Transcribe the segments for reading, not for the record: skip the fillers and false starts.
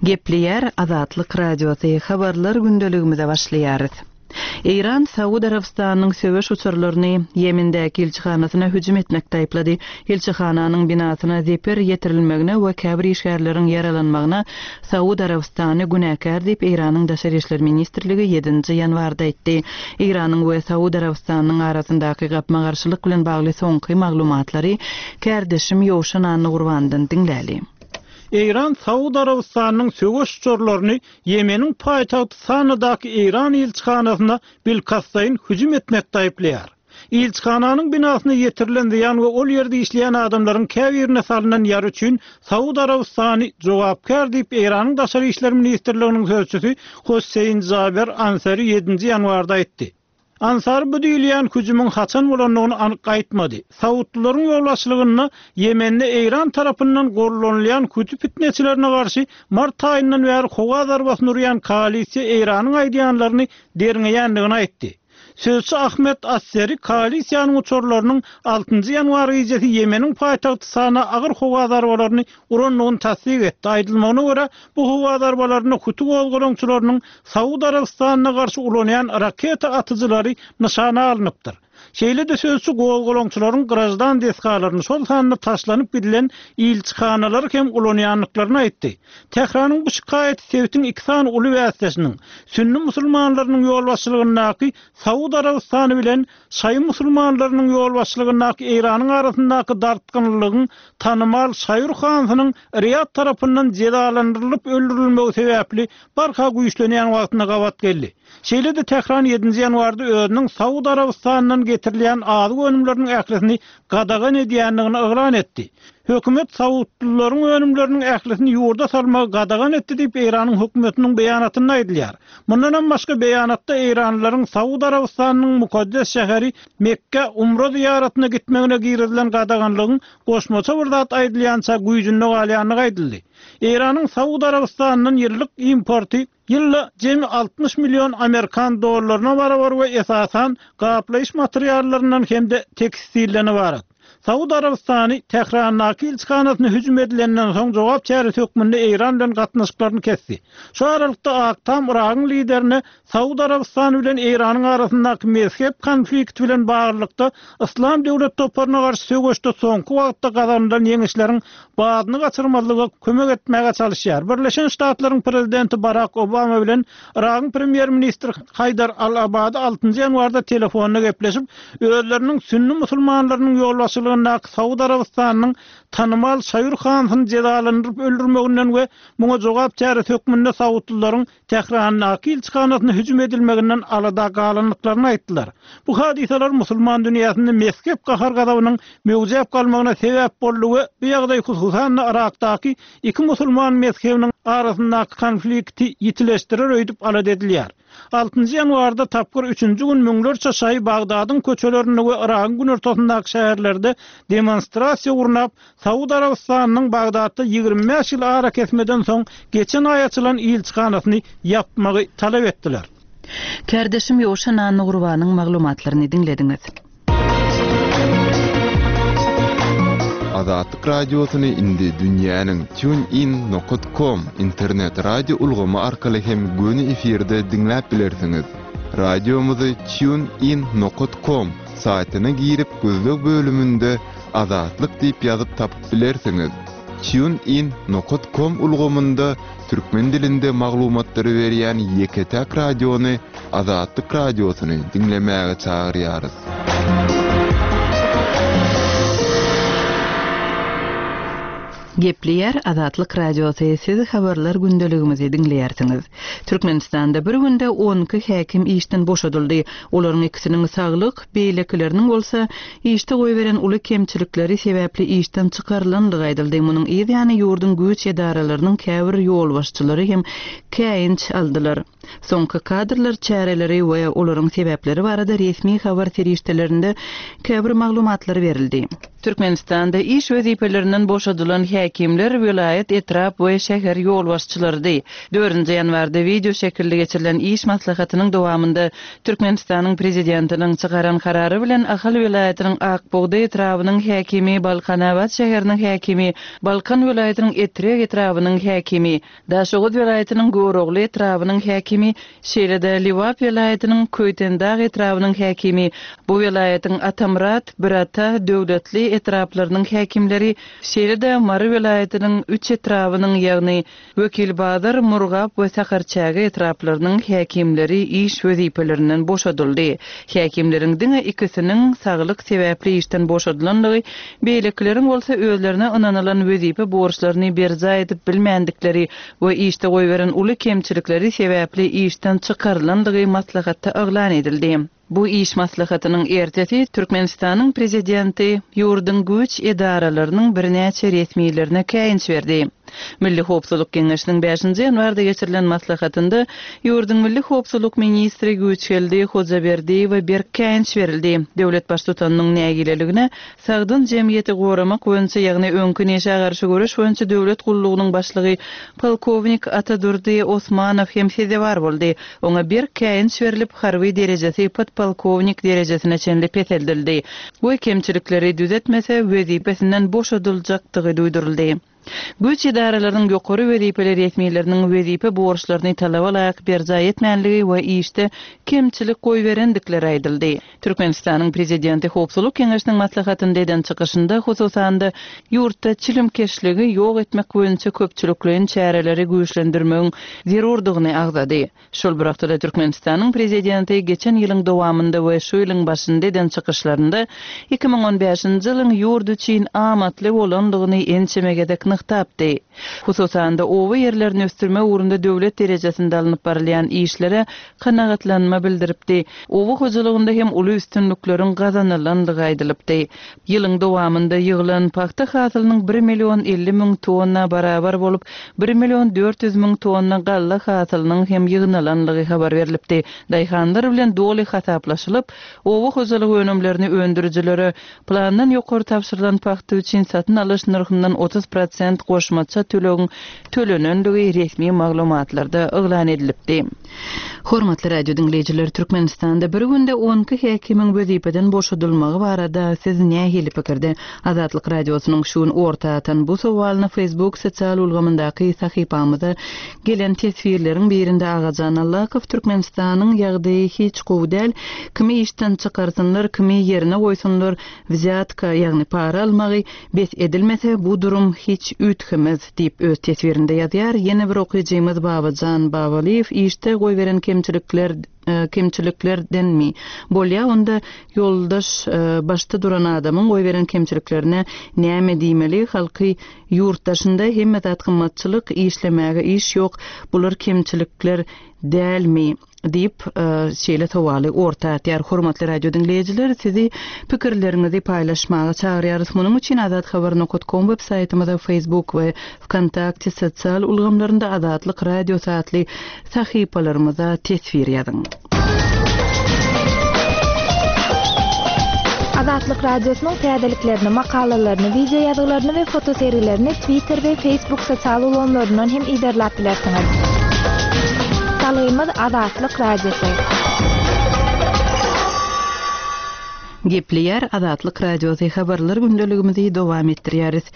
Gepleýär Azatlyk Radiosy, Habarlar gündeligimize başlaýarys. Eýran Saud Arabystanynyň söweş uçarlaryny Ýemendäki ilçihanasyna hüjüm etmekde aýyplady. Ilçihananyň binasyna zeper ýetirilmegine we käbir işgärleriň ýaralanmagyna Saud Arabystany günäkär diýip, Eýranyň Daşary işler ministrligi ýedinji ýanwarda aýtdy. Eýranyň we Saud Arabystanynyň arasyndaky gapma-garşylyk bilen bagly soňky maglumatlary kärdeşim Ýowşan Annagurbandan diňläli. Eýran Saud Arabystanynyň söweş uçarlaryny Ýemeniň paýtagty Sanadaky Eýran ilçihanasyna bilkastlaýyn hüjüm etmekde aýyplaýar. Ilçihananyň binasyna ýetirilen zyýan we ol ýerde işleýän adamlaryň käbirine salnan ýara üçin Saud Arabystany jogapkär diýip Eýranyň Daşary işler ministrliginiň sözçüsi Hossein Jaber Ansari ýedinji ýanwarda aýtdy. Ansary bu diýilýän hüjümiň haçan bolandygyny anyk aýtmady. Saudlylaryň ýolbaşçylygynda Ýemende Eýran tarapyndan gollanylýan huti pitneçilerine garşy mart aýyndan bäri howa zarbasyny urýan koalisiýa Eýranyň aýdýanlaryny derňeýändigini aýtdy. Sözçi Ahmed Asseri koalisiýanyň uçarlarynyň altynjy ýanwar gijesi Ýemeniň paýtagty Sana agyr howa zarbalaryny urandygyny tassyk etdi. Aýdylmagyna görä, bu howa zarbalarynda huti gozgalaňçylarynyň Saud Arabystanyna garşy ulanýan raketa atyjylary nyşana alnypdyr. Şeýle-de sözçi gozgalaňçylaryň graždan desgalaryny, şol sanda taşlanyp gidilen ilçihanalary hem ulanýandyklaryny aýtdy. Tähranyň bu şikaýaty sebitiň iki sany uly bäsdeşiniň, sünni musulmanlarynyň ýolbaşçylygyndaky Saud Arabystany bilen şaýy musulmanlarynyň ýolbaşçylygyndaky Eýranyň arasyndaky dartgynlylygyň tanymal Şaýur hansynyň Riýad tarapyndan jezalandyrylyp öldürilmegi sebäpli barha güýçlenýän wagtyna gabat geldi. Şeýle-de Tähran ýedinji ýanwarda özüniň Saud Arabystanyndan getirilýän azyk önümleriniň ählisini gadagan edýändigini yglan etdi. Hökümet saudlylaryň önümleriniň ählisini ýurda salmagy gadagan etdi diýip, Eýranyň hökümetiniň beýanatynda aýdylýar. Mundanam başga beýanatda eýranlylaryň Saud Arabystanynyň mukaddes şäheri Mekgä umra zyýaratyna gitmegine girizilen gadaganlygyň goşmaça bir zat aýdylýança güýjünde galýandygy aýdyldy. Eýranyň Saud Arabystanyndan ýyllyk importy ýylda jemi 60 million amerikan dollaryna barabar we esasan gaplaýyş materiallaryndan hem-de tekstilden ybarat. Saud Arabystany Tährandaky ilçihanasyna hüjüm edilenden soň jogap çäresi hökmünde Eýran bilen gatnaşyklaryny kesdi. Şu aralykda Ak Tam Yragyň liderine Saud Arabystany bilen Eýranyň arasyndaky mezhep konflikti bilen baglylykda Yslam döwlet toparyna garşy söweşde soňky wagtda gazanylan ýeňişleriň badyny gaçyrmazlyga kömek etmäge çalyşýar. Birleşen Ştatlaryň prezidenti Barak Obama bilen Yragyň premýer-ministri Haýdar al-Abady altynjy ýanwarda telefonda gepleşip, özleriniň sünni musulmanlarynyň ýolbaşçylygyndaky Saud Arabystanynyň tanymal Şaýur Hansyny jezalandyryp öldürmeginden we muňa jogap çäresi hökmünde saudlylaryň Tährandaky ilçihanasyna hüjüm edilmeginden alada galandyklaryny aýtdylar. Bu hadysalar musulman dünýäsinde mezhep gahar-gazabynyň möwjäp galmagyna sebäp boldy we bu ýagdaý hususan-da Yrakdaky iki musulman mezhebiniň arasyndaky konflikti ýitileşdirer öýdüp alada edilýär. Altynjy ýanwarda tapgyr üçünji gün müňlerçe şaýy Bagdadyň köçelerinde we Yragyň günortasyndaky şäherlerde demonstrasiýa gurnap, Saud Arabystanynyň Bagdatda 25 ýyl arakesmeden soň geçen aý açylan ilçihanasyny ýapmagy talap etdiler. Kärdeşim Ýowşan Annagurbanyň maglumatlaryny diňlediňiz. Azatlyk Radiosyny indi dünýäniň TuneIn nokat com internet radio ulgamy arkaly hem göni efirde diňläp bilersiňiz. Radiomyzy TuneIn nokat com saýtyna girip gözleg bölüminde Azatlyk diýip ýazyp tapyp bilersiňiz. Tune in nokat kom ulgamynda türkmen dilinde maglumatlary berýän ýeke-täk radiony Azatlyk Radiosyny diňlemäge çagyrýarys. Gepleýär Azatlyk Radiosy, siz habarlar gündeligimizi diňleýärsiňiz. Türkmenistanda bir günde 12 häkim işden boşadyldy. Olaryň ikisiniň saglyk, beýlekileriniň bolsa işde goýberen uly kemçilikleri sebäpli işden çykarylandygy aýdyldy. Munuň yz ýany ýurduň güýç edaralarynyň käbir ýolbaşçylary hem käýinç aldylar. Soňky kadrlar çäreleri we olaryň sebäpleri barada resmi habar serişdelerinde käbir maglumatlar berildi. Türkmenistanda iş wezipelerinden boşadylan häkimler welaýat, etrap we şäher ýolbaşçylarydy. Dördünji ýanwarda wideo şekilli geçirilen iş maslahatynyň dowamynda Türkmenistanyň Prezidentiniň çykaran karary bilen Ahal welaýatynyň Ak bugdaý etrabynyň häkimi, Balkanabat şäheriniň häkimi, Balkan welaýatynyň Etrek etrabynyň häkimi, Daşoguz welaýatynyň Görogly etrabynyň häkimi, şeýle-de Lebap welaýatynyň Köýtendag etrabynyň häkimi, bu welaýatyň Atamyrat, Birata, Döwletli etraplarynyň häkimleri, şeýle-de Mary welaýatynyň üç etrabynyň, ýagny Wekilbazar, Murgap we Sakarçäge etraplarynyň häkimleri iş wezipelerinden boşadyldy. Häkimleriň diňe ikisiniň saglyk sebäpli işden boşadylandygy, beýlekileriň bolsa özlerine ynanylan wezipe borçlaryny berjaý edip bilmändikleri we işde goýberen uly kemçilikleri sebäpli işden çykarylandygy maslahatda yglan edildi. Bu iş maslahatynyň ertesi Türkmenistanyň Prezidenti ýurduň güýç edaralarynyň birnäçe resmilerine käýinç berdi. Milli howpsuzlyk geňeşiniň bäşinji ýanwarda geçirilen maslahatynda ýurduň milli howpsuzlyk ministri Güýçgeldi Hojaberdiýewe berk käýinç berildi. Döwlet Baştutanynyň nägileligine Sagdyn jemgyýeti goramak boýunça, ýagny öňki neşä garşy göreş boýunça döwlet gullugynyň başlygy polkownik Atadurdy Osmanow hem sezewar boldy. Oňa berk käýinç berlip, harby derejesi podpolkownik derejesine çenli peseldildi we kemçilikleri düzetmese, wezipesinden boşadyljakdygy duýduryldy. Güýç edaralarynyň ýokary wezipeli resmileriniň wezipe borçlaryny talaba laýyk berjaý etmänligi we işde kemçilik goýberendikleri aýdyldy. Türkmenistanyň Prezidenti Howpsuzlyk Geňeşiniň maslahatynda eden çykyşynda, hususan-da, ýurtda çilimkeşligi ýok etmek boýunça köpçülikleýin çäreleri güýçlendirmegiň zerurdygyny agzady. Şol bir wagtda-da Türkmenistanyň Prezidenti geçen ýylyň dowamynda we şu ýylyň başynda eden çykyşlarynda 2015-nji ýylyň ýurt üçin amatly bolandygyny ençeme gezek nygtapdy. Hususan-da, oba ýerlerini ösdürmek ugrunda döwlet derejesinde alnyp barylýan işlere kanagatlanma bildiripdi. Oba hojalygynda hem uly üstünlikleriň gazanylandygy aýdylypdy. Ýylyň dowamynda ýygylan pagta hasylynyň bir million 50 müň tonna barabar bolup, bir million 400 müň tonna galla hasylynyň hem ýygnalanlygy habar berlipdi. Daýhanlar bilen doly hasaplaşylyp, oba hojalyk önümlerini öndürijilere plandan ýokary tabşyrylan pagta üçin satyn alyş nyrhyndan 30 prosent goşmaça tölegiň tölenendigi resmi maglumatlarda yglan edilipdi. Hormatly radio diňleýjiler, Türkmenistanda bir günde on iki häkimiň wezipeden boşadylmagy barada siz nähili pikirde? Azatlyk Radiosynyň şu gün orta atan bu sowalyna Facebook sosial ulgamyndaky sahypamyza gelen teswirleriň birinde Agajan Allakow Türkmenistanyň ýagdaýy hiç gowy däl, kimi işden çykarsynlar, kimi ýerine goýsunlar, wzýatka, ýagny para almagy bes edilmese bu durum hiç üýtgemez diýip öz teswirinde ýazýar. Ýene bir okyjymyz Babajan Babalyýew işde goýberen kemçilikler kemçiliklerdenmi? Bolýa onda ýoldaş başda duran adamyň goýberen kemçiliklerine näme diýmeli halky ýurt daşynda hemme zat gymmatçylyk işlemäge iş ýok bular kemçilikler dälmi? Diýip, şeýle sowaly orta atýar. Hormatly radio diňleýjiler, sizi pikirleriňizi paýlaşmaga çagyrýarys. Munuň üçin azathabar nokat kom web saýtymyza, Facebook we Wkontakte sosial ulgamlarynda Azatlyk Radiosy atly sahypalarymyza teswir ýazyň. Azatlyk Radiosynyň täzeliklerini, makalalaryny, wideo ýazgylaryny we fotosergilerini Twitter we Facebook sosial ulgamlaryndan hem yzarlap bilersiňiz. Salgymyz Azatlyk Radiosy. Gepleýär Azatlyk Radiosy habarlar gündeligimizi dowam etdirýäris.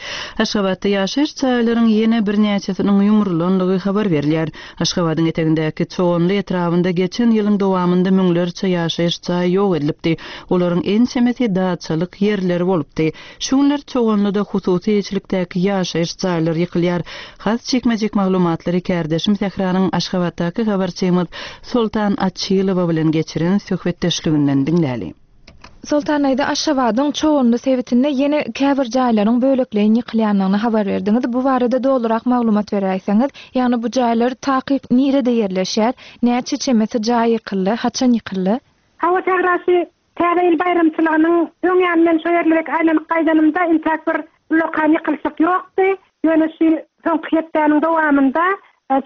Aşgabatda ýaşaýyş jaýlaryň ýene birnäçesiniň ýumrulandygy habar berilýär. Aşgabadyň etegindäki Çoganly etrabynda geçen ýylyň dowamynda müňlerçe ýaşaýyş jaýy ýok edilipdi. Olaryň ençemesi daçalyk ýerleri bolupdy. Şu günler Çoganlyda hususy eýeçilikdäki ýaşaýyş jaýlar ýykylýar. Has jikme-jik maglumatlary kärdeşim Sähranyň Aşgabatdaky habarçymyz Soltan Açylowa bilen geçiren söhbetdeşliginden diňläli. Soltan daýza, Aşgabadyň Çoganly sebitinde ýene käbir jaýlaryň bölekleýin ýykylýandygyny habar berdiňiz. Bu barada dolurak maglumat beräýseňiz? Ýagny bu jaýlar takyk nirede ýerleşýär? Näçe çemesi jaý ýykyldy? Haçan ýykyldy? Hawa, Sähra, şu Täze ýyl baýramçylygynyň öň ýany men şo ýerlerek aýlanyp gaýdanymda intäk bir ullakan ýykylyşyk ýokdy. Ýöne şu soňky hepdäniň dowamynda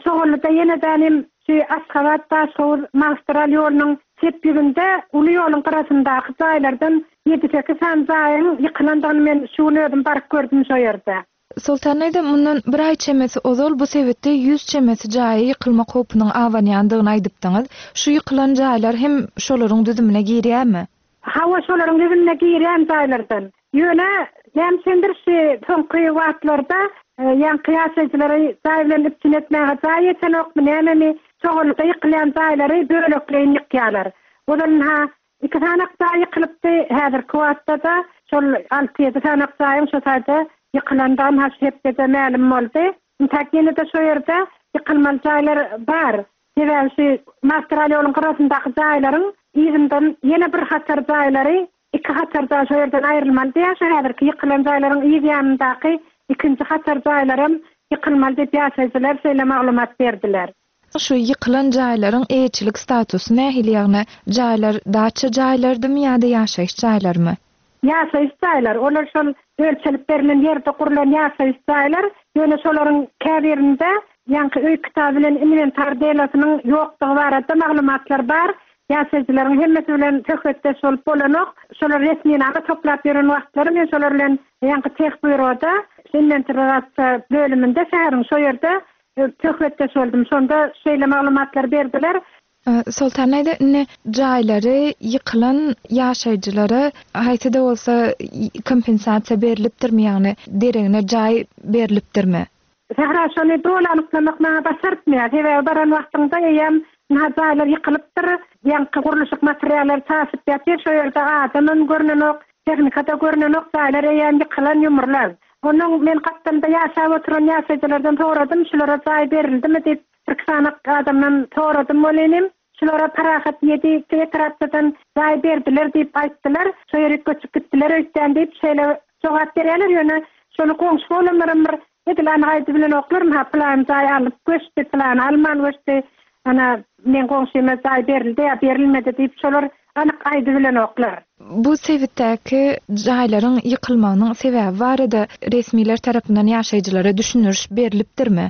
Çoganlyda ýene-de hem. Şu Aşgabat-Daşhowuz magistral ýolunyň çep ýüzünde uly ýoluň gyrasyndaky jaýlardan ýedi-sekiz sany jaýyň ýykylandygyny men şu gün özüm baryp gördüm şo ýerde. Soltan daýza, mundan bir aý çemesi ozal bu sebitde ýüz çemesi jaýa ýykylmak howpunyň abanýandygyny aýdypdyňyz. Şu ýykylan jaýlar hem şolaryň düzümine girýärmi? Hawa, şolaryň düzümine girýän jaýlardan. Ýöne, näme üçindir şu soňky wagtlarda ýaňky ýaşaýjylary jaý bilen üpjün etmäge jaý ýetenokmy, nämemi, çoganlykda ýykylýan jaýlary bölekleýin ýykýarlar. Ozal ynha Iki sanak jaý ýykylypdy, häzirki wagtda-da şol alty-ýedi sanak jaýyň şo taýda ýykylandygy ha şu hepdede mälim boldy. Intäk ýene-de şo ýerde ýykylmaly jaýlar bar. Sebäbi şu magistral ýoluň gyrasyndaky jaýlaryň yzyndan ýene bir hatar jaýlary, iki hatar jaý şo ýerden aýrylmaly diýýär. Şu häzirki ýykylan jaýlaryň yz ýanyndaky ikinji hatar jaýlaram ýykylmaly diýip ýaşaýjylar şeýle maglumat berdiler. Şu ýykylan jaýlaryň eýeçilik statusy nähili ýagny jaýlar daça jaýlardymy ýa-da ýaşaýyş jaýlarymy? Ýaşaýyş jaýlar, olar şol ölçelip berlen ýerde gurlan ýaşaýyş jaýlar, ýöne şolaryň käbirinde ýaňky öý kitaby bilen inwentar delasynyň ýokdugy barada maglumatlar bar, ýaşaýjylaryň hemmesi bilen söhbetdeş bolup bolanok, şolar resminama toplap ýören wagtlary men şolar bilen ýaňky tehbýuroda inwentarizasiýa bölüminde şäheriň şo ýerde Söhbetdeş boldum. Şonda şeýle maglumatlary berdiler. Soltan daýza, indi jaýlary ýykylan ýaşaýjylara haýsy-da bolsa kompensasiýa berlipdirmi, ýagny deregine jaý berlipdirmi? Sähra, şony doly anyklamak maňa başartmaýar. Sebäbi baran wagtyňda eýýäm ynha jaýlar ýykylypdyr, ýaňky gurluşyk materiallary çaşyp ýatyr, şo ýerde adamam görnenok, tehnika-da görnenok, jaýlar eýýäm ýykylan, ýumrulan. Onnoň men gapdalda ýaşap oturan ýaşaýjylardan soradym, şulara jaý berildimi diýip, birki sany adamdan soradym welinim, şulara Parahat ýedi etrapçadan jaý berdiler diýip aýtdylar, şo ýerik göçüp gitdiler öýtýän diýip, şeýle jogap berýärler, ýöne şony goňşy bolanlaram bir edil anyk aýdybilenoklar, ynha pylany jaý alyp göçdi, pylany alman göçdi, ana meň goňşyma jaý berildi ýa berilmedi diýip, şolar anyk aýdybilenoklar. Bu sebitdäki jaýlaryň ýykylmagynyň sebäbi barada resmiler tarapyndan ýaşaýjylara düşündiriş berlipdirmi?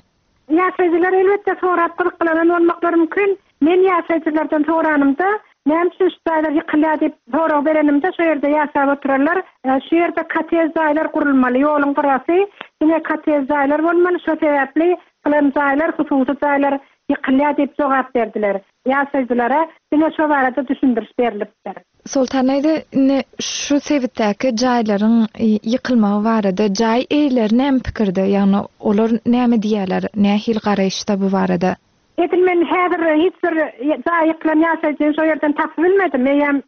Ýaşaýjylar elbetde sorap gyzyklanan bolmaklary mümkin. Men ýaşaýjylardan soranymda, näme üçin şu jaýlar ýykylýar diýip sorag berenimde, şo ýerde ýaşap oturanlar, şu ýerde kottej jaýlar gurulmaly, ýoluň gyrasy, diňe kottej jaýlar bolmaly, şo sebäpli pylan jaýlar, hususy jaýlar ýykylýar diýip jogap berdiler. Ýaşaýjylara diňe şo barada düşündiriş berlipdir. Soltan daýza, indi şu sebitdäki jaýlaryň ýykylmagy barada jaý eýeleri näme pikirde, ýagny olar näme diýýärler, nähili garaýyşda bu barada? Edil men häzir hiç bir jaýy ýykylan ýaşaýjyny şo ýerden tapyp bilmedim. Eýýäm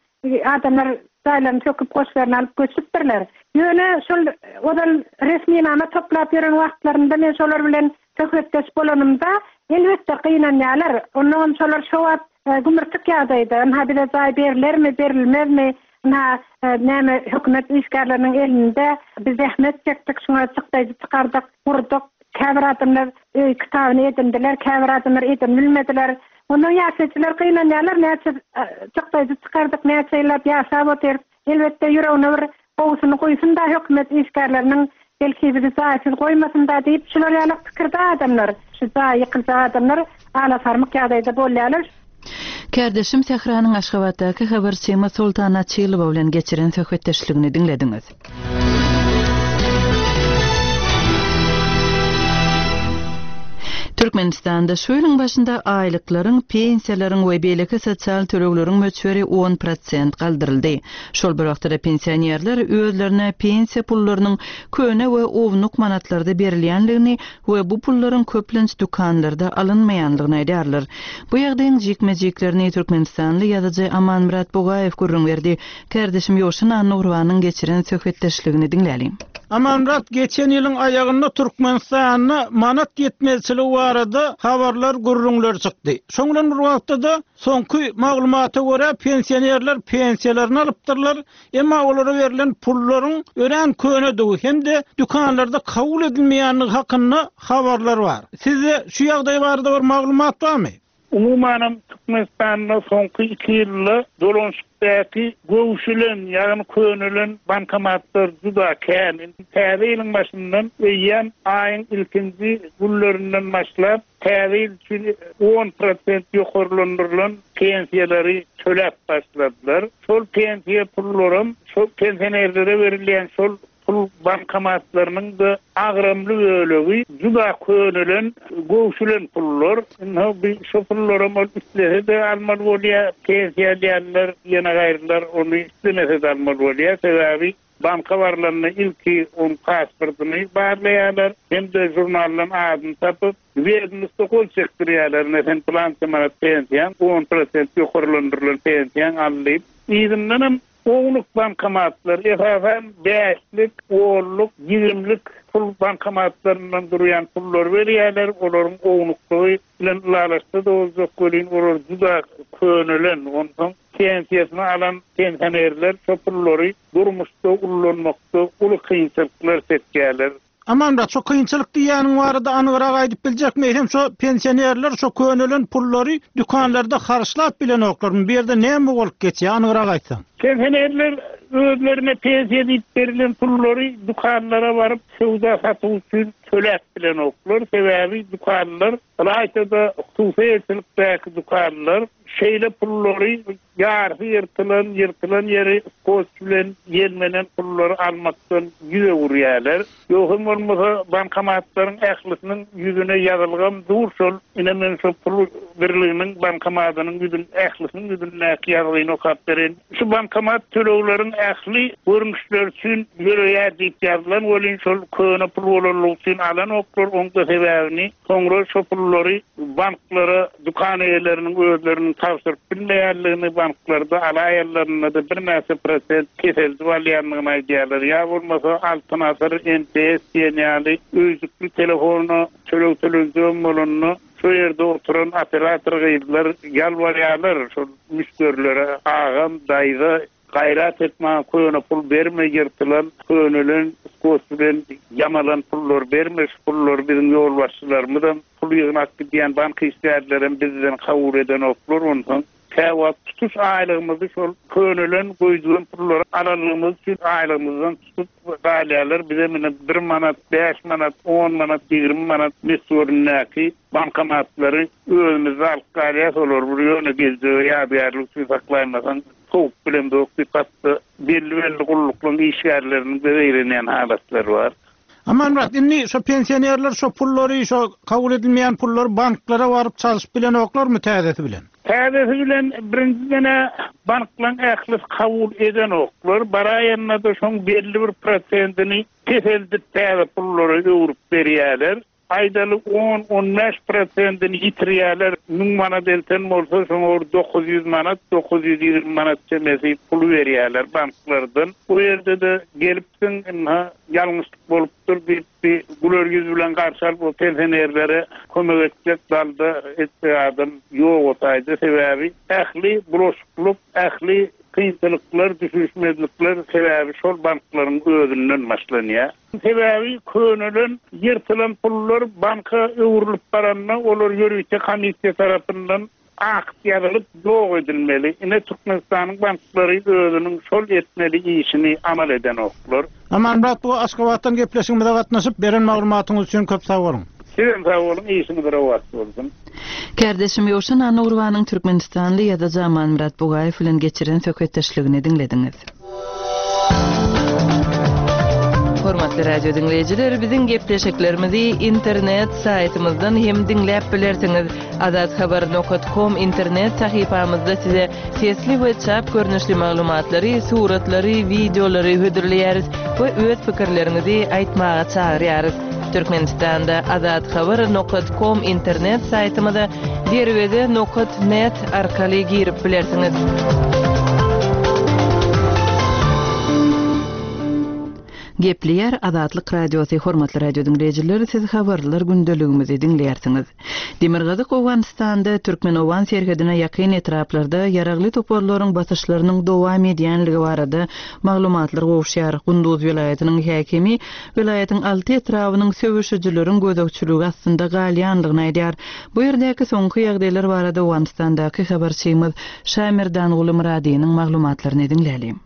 adamlar jaýlaryny söküp, goşlaryny alyp göçüpdirler. Ýöne şol ozal resminama toplap ýören wagtlarynda men şolar bilen söhbetdeş bolanymda, elbetde, gynanýarlar. Onnoňam şolar şo wagt gümürtik ýagdaýda, ynha bize jaý berlermi, berilmezmi, ynha näme hökümet işgärleriniň elinde, biz zähmet çekdik, şuňa çykdaýjy çykardyk, gurduk, käbir adamlar öý kitabyny edindiler, käbir adamlar edinbilmediler. Onnoň ýaşaýjylar gynanýarlar, näçe çykdaýjy çykardyk, näçe ýyllap ýaşap otyrys, Elbetde, ýüregine bir gowusyny guýsun-da hökümet işgärleriniň, belki bizi jaýsyz goýmasyn-da diýip, şular ýalak pikirde adamlar, şu jaýy ýykyljak adamlar alasarmyk ýagdaýda bolýarlar. Kärdeşim Sähranyň Aşgabatdaky habarçymyz Soltan Açylowa bilen geçiren söhbetdeşligini diňlediňiz. Türkmenistanda şu ýylyň başynda aýlyklaryň, pensiýalaryň we beýleki sosial tölegleriň möçberi on prosent galdyryldy. Şol bir wagtda-da pensionerler özlerine pensiýa pullarynyň köne we ownuk manatlarda berilýändigini we bu pullaryň köplenç dükanlarda alynmaýandygyny aýdýarlar. Bu ýagdaýyň jikme-jiklerini türkmenistanly ýazyjy Amanmyrat Bugaýew gürrüň berdi. Kärdeşim Ýowşan Annagurbanyň geçiren söhbetdeşligini diňläliň. Amanmyrat, geçen ýylyň aýagynda Türkmenistanda manat ýetmezçiligi barada habarlar, gürrüňler çykdy. Şoň bilen bir wagtda-da, soňky maglumata görä, pensionerler pensiýalaryny alypdyrlar, emma olara berlen pullaryň örän könedigi hem-de dükanlarda kabul edilmeýändigi hakynda habarlar bar. Sizde şu ýagdaý barada bir maglumat barmy? Umumanam, Türkmenistanda soňky iki ýylda dolanyşykda. Sebitdäki göwşülen, ýagny könelen bankomatlar juda kän. Indi täze ýylyň başyndan eýýäm aýyň ilkinji günlerinden başlap täze ýyl üçin on prosent ýokarlandyrylan pensiýalary töläp başladylar. Şol pensiýa pullaram şol pensionerlere berilýän şol Pul bankomatlarynyň-da agramly bölegi juda könelen, göwşülen pullar. Indi bi şo pullaram ol islese-de almaly bolýar, pensiýa alýanlar, ýene gaýrylar ony islemese-de almaly bolýar. Sebäbi banka barlanda ilki onuň pasportyny barlaýarlar hem-de žurnaldan adyny tapyp, Wedomostda gol çekdirýärler, ine sen pylança manat pensiýaň, on prosent ýokarlandyrylan pensiýaň al diýip. Yzyndanam Ownuk bankomatlar, esasan, bäşlik, onluk, ýigrimlik pul bankomatlaryndan durýan pullary berýärler. Olaryň ownuklygy bilen ylalaşsa-da boljak welin, olar juda könelen. Onsoň pensiýasyny alan pensionerler şo pullary durmuşda ullanmakda uly kynçylyklar çekýärler. Amanmyrat, şo kynçylyk diýýäniň barada anygrak aýdyp biljekmi? Eýsem şo pensionerler şo könelen pullary dükanlarda harçlap bilenoklarmy? Bu ýerde näme bolup geçýär, anygrak aýtsaň. Pensionerler özlerine pensiýa diýip berilen pullary dükanlara baryp söwda-satyk üçin töläp bilenoklar. Sebäbi dükanlar, ylaýta-da hususy eýeçilikdäki dükanlar şeýle pullary Ýarysy ýyrtylan, ýyrtylan ýeri skotç bilen ýelmenen pullary almakdan ýüz öwürýärler. Ýogsam bolmasa bankomatlaryň ählisiniň ýüzüne ýazylgam dur şol, ine men şo pul birliginiň bankomadynyň ýüzün ählisiniň ýüzündäki ýazgyny okap bereýin. Şu bankomat tölegleriň ähli görnüşleri üçin ýöreýär diýip ýazylan welin şol köne pul bolanlygy üçin alanoklar, oň-da sebäbini Soňra şo pullary banklara dükan eýeleriniň özleriniň tabşyryp bilmeýänligini, banklarda alaýanlarynda-da birnäçe prosent peseldip alýandygyny aýdýarlar. Ýa bolmasa Altyn asyr, MTS diýen ýaly öýjükli telefona töleg tölenjegem bolanda, şo ýerde oturan operator gyzlar ýalbarýarlar şol müşderilere, Agam, daýza, Gaýrat et maňa köne pul berme ýyrtylan könelen skotç bilen ýamalan pullary berme şu pullary biziň ýolbaşçylarymyzam pul ýygnap gidýän bank işgärlerem bizden kabul edenoklar onsoň käwagt tutuş aýlygymyzy şol könelen goýdulan pullary alanlygymyz üçin aýlygymyzdan tutup galýarlar bizem ine bir manat bäş manat on manat 20 manat möçberindäki bankomatlary özümizde alyp galýas olary bir ýöne geljege ýadygärlik üçin saklaýmasaň Sowup bilemzok diýip hatda belli-belli gulluklaryň işgärleriniň-de zeýrenýän halatlary bar. Amanmyrat, indi şo pensionerler şo pullary, şo kabul edilmeýän pullary banklara baryp çalşyp bilenoklarmy täzesi bilen? Täzesi bilen birinjiden-ä banklaryň ählisi kabul edenoklar, baraýanda-da şoň belli bir prosentini peseldip täze pullara öwrüp berýärler. Aýdaly on, on bäş prosentini ýitirýärler. Müň manat elten bolsa, şoňa bir 900 manat, 920 manat çemesi puly berýärler banklardan. Bu ýerde-de gelipsiň, ynha, ýalňyşlyk bolupdyr diýip, bir güler ýüz bilen garşy alyp, o pensionerlere kömek etjek, dalda etjek adam ýok o taýda. Sebäbi ähli bulaşyklyk, ähli kynçylyklar, düşünişmezlikler sebäbi şol banklaryň özünden başlanýar. Sebäbi könelen, ýyrtylan pullar banka öwrülip baranda, olar ýörite komissiýa tarapyndan akt ýazylyp, ýok edilmeli. Ine, Türkmenistanyň banklary özüniň şol etmeli işini amal edenoklar. Amanmyrat bu Aşgabatdan gepleşigimize gatnaşyp, beren maglumatyňyz üçin köp sag boluň. Sizem sag boluň, işiňiz rowaç bolsun. Kärdeşim Ýowşan Annagurbanyň türkmenistanly ýazyjy Amanmyrat Bugaýew bilen geçiren söhbetdeşligini diňlediňiz. Hormatly radio diňleýjiler, biziň gepleşiklerimizi internet saýtymyzdan hem diňläp bilersiňiz. Azathabar nokat kom internet sahypamyzda size sesli we çap görnüşli maglumatlary, suratlary, wideolary hödürleýäris we öz pikirleriňizi aýtmaga çagyrýarys. Türkmenistanda Azathabar nokat kom internet saýtymyza derweze nokat net arkaly girip bilersiňiz. Gepleýär Azatlyk Radiosy, Hormatly radio diňleýjiler, siz Habarlar gündeligimizi diňleýärsiňiz. Demirgazyk Owganystanda türkmen-owgan serhedine ýakyn etraplarda ýaragly toparlaryň basyşlarynyň dowam edýänligi barada maglumatlar gowuşýar. Gunduz welaýatynyň häkimi welaýatyň alty etrabynyň söweşijileriň gözegçiligi astynda galýanlygyny aýdýar. Bu ýerdäki soňky ýagdaýlar barada Owganystandaky habarçymyz Şamerdanguly Myradynyň maglumatlaryny diňläliň.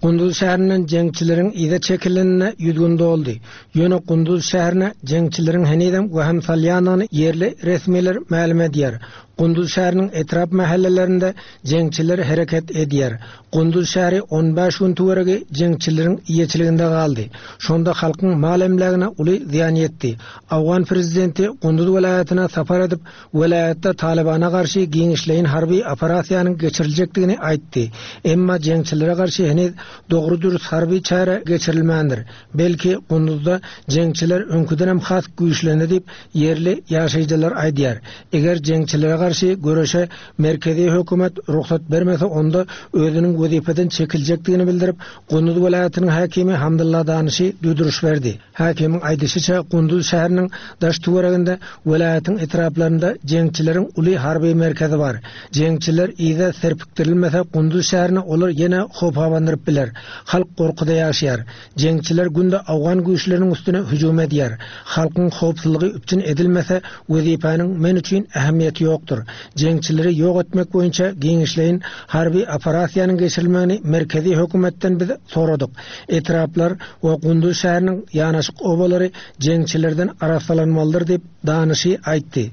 Gunduz şäherinden jeňçileriň yza çekilenine 100 gün doldy. Ýöne Gunduz şäherine jeňçileriň henizem wehim salýandygyny ýerli resmiler mälim edýär. Gunduz şäheriniň etrap mähellelerinde jeňçiler hereket edýär. Gunduz şäheri on bäş gün töweregi jeňçileriň eýeçiliginde galdy. Şonda halkyň mal-emlägine uly zyýan ýetdi. Owgan prezidenti Gunduz welaýatyna sapar edip, welaýatda Talybana garşy giňişleýin harby operasiýanyň geçiriljekdigini aýtdy. Emma jeňçilere garşy heniz dogry-dürs harby çäre geçirilmändir. Belki, Gunduzda jeňçiler öňküdenem has güýçlendi diýip, ýerli ýaşaýjylar aýdýar. Eger jeňçilere garşy göreşe merkezi hökümet rugsat bermese, onda özüniň wezipeden çekiljekdigini bildirip, Gunduz welaýatynyň häkimi Hamdylla Danyşy duýduryş berdi. Häkimiň aýdyşyça, Gunduz şäheriniň daş-töwereginde, welaýatyň etraplarynda jeňçileriň uly harby merkezi bar. Jeňçiler yza serpikdirilmese, Gunduz şäherine olar ýene howp abandyryp biler. Halk gorkuda ýaşaýar. Jeňçiler günde owgan güýçleriniň üstüne hüjüm edýär. Halkyň howpsuzlygy üpjün edilmese, wezipäniň men üçin ähmiýeti ýokdur. Jeňçileri ýok etmek boýunça giňişleýin harby operasiýanyň geçirilmegini merkezi hökümetden biz soradyk. Etraplar we Gunduz şäheriniň ýanaşyk obalary jeňçilerden arassalanmalydyr diýip, Danyşy aýtdy.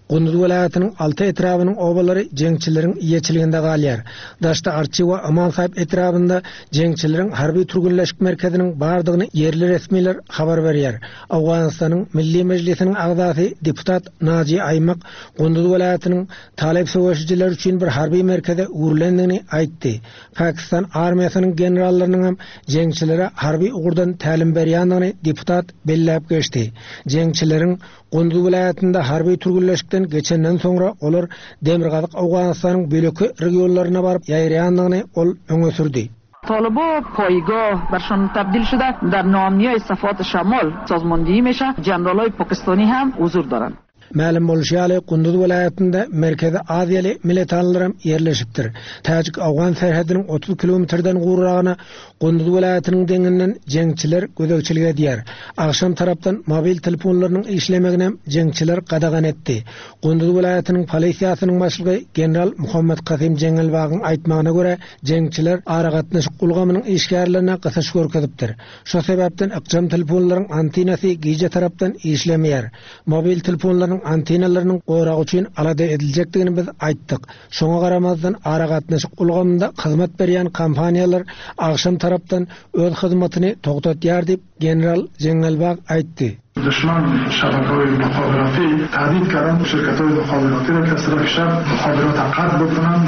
Gunduz welaýatynyň alty etrabynyň obalary jeňçileriň eýeçiliginde galýar. Daşda Arçy we Amansaýyp etrabynda jeňçileriň harby türgenleşik merkeziniň bardygyny ýerli resmiler habar berýär. Owganystanyň Milli Mejlisiniň agzasy deputat Naji Aýmak Gunduz welaýatynyň talyp söweşijiler üçin bir harby merkeze öwrülendigini aýtdy. Pakistan armiýasynyň generallarynyň hem jeňçilere harby ugurdan tälim berýändigini deputat belläp geçdi. Jeňçileriň Gunduz welaýatynda harby türgenleşikden geçenden soňra olar Demirgazyk Owganystanyň beýleki regionlaryna baryp ýaýraýandygyny ol öňe sürdi. طالبا پایگاه برشان تبدیل شده در ناامنی صفات شمال سازماندهی میشه جنرالای پاکستانی هم حضور دارند. Mälim bolşy ýaly, Gunduz welaýatynda Merkezi Aziýaly militanlaram ýerleşipdir. Täjik-owgan serhediniň 30 kilometrden gowragyna Gunduz welaýatynyň deňinden jeňçiler gözegçilik edýär. Agşam tarapdan mobil telefonlarynyň işlemeginem jeňçiler gadagan etdi. Gunduz welaýatynyň polisiýasynyň başlygy general Muhammet Kasym Jeňňelbagyň aýtmagyna görä, Jeňçiler aragatnaşyk ulgamynyň işgärlerine gysyş görkezipdir. Şo sebäpden ykjam telefonlaryň antenasy gije tarapdan işlemeýär. Mobil telefonlaryň antenalarynyň goragy üçin alada ediljekdigini biz aýtdyk. Şoňa garamazdan aragatnaşyk ulgamynda hyzmat berýän kompaniýalar agşam tarapdan öz hyzmatyny togtatýar diýip, general Jeňňelbag aýtdy. Duşman şabakahoy muhaberati tahdid kardan şirkathoy muhaberati ra ke az taraf şab muhaberat qat bokonand.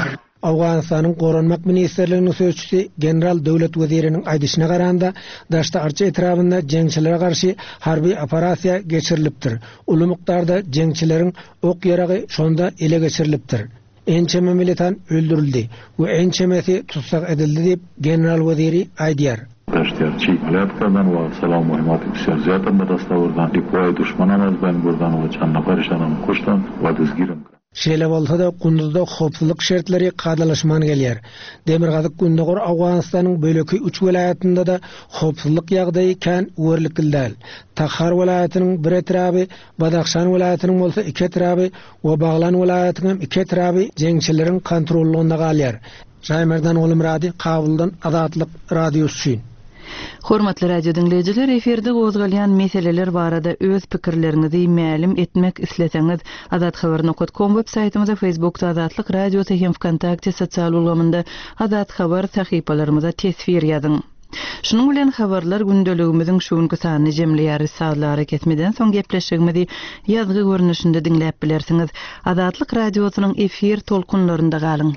Owganystanyň Goranmak ministrliginiň sözçüsi general Döwlet Weziriniň aýdyşyna garanda, Daşda-Arça etrabynda jeňçilere garşy harby operasiýa geçirilipdir. Uly mukdarda jeňçileriň ok-ýaragy şonda ele geçirilipdir. Ençeme militan öldürildi we ençemesi tussag edildi diýip, general Weziri aýdýar. Daşty-Arçy alat kardan we salam muhimmat bisiýar ziýatan badast awurdan, dikuwaý duşman am az baýn burdan we çand nafarişan am kuştan we destgiram kardan. Şeýle bolsa-da, Gunduzda howpsuzlyk şertleri kadalaşman gelýär. Demirgazyk-Gündogar Owganystanyň beýleki üç welaýatynda-da howpsuzlyk ýagdaýy kän öwerlikli däl. Takhar welaýatynyň bir etraby, Badahşan welaýatynyň bolsa iki etraby we Baglan welaýatyň hem iki etraby jeňçileriň kontrollygynda galýar. Şaýmerdan Gulumyrady, Kabuldan Azatlyk Radiosy üçin. Hormatly radio diňleýjiler, efirde gozgalýan meseleler barada öz pikirleriňizi mälim etmek isleseňiz, azathabar nokat kom web saýtymyza, Facebookda Azatlyk Radiosy hem Wkontakte sosial ulgamynda Azat Habar sahypalarymyza teswir ýazyň. Şunuň bilen habarlar gündeligimiziň şu günki sanyny jemleýäris. Sazly arakesmeden soň gepleşigimizi ýazgy görnüşinde diňläp bilersiňiz. Azatlyk Radiosynyň efir tolkunlarynda galyň.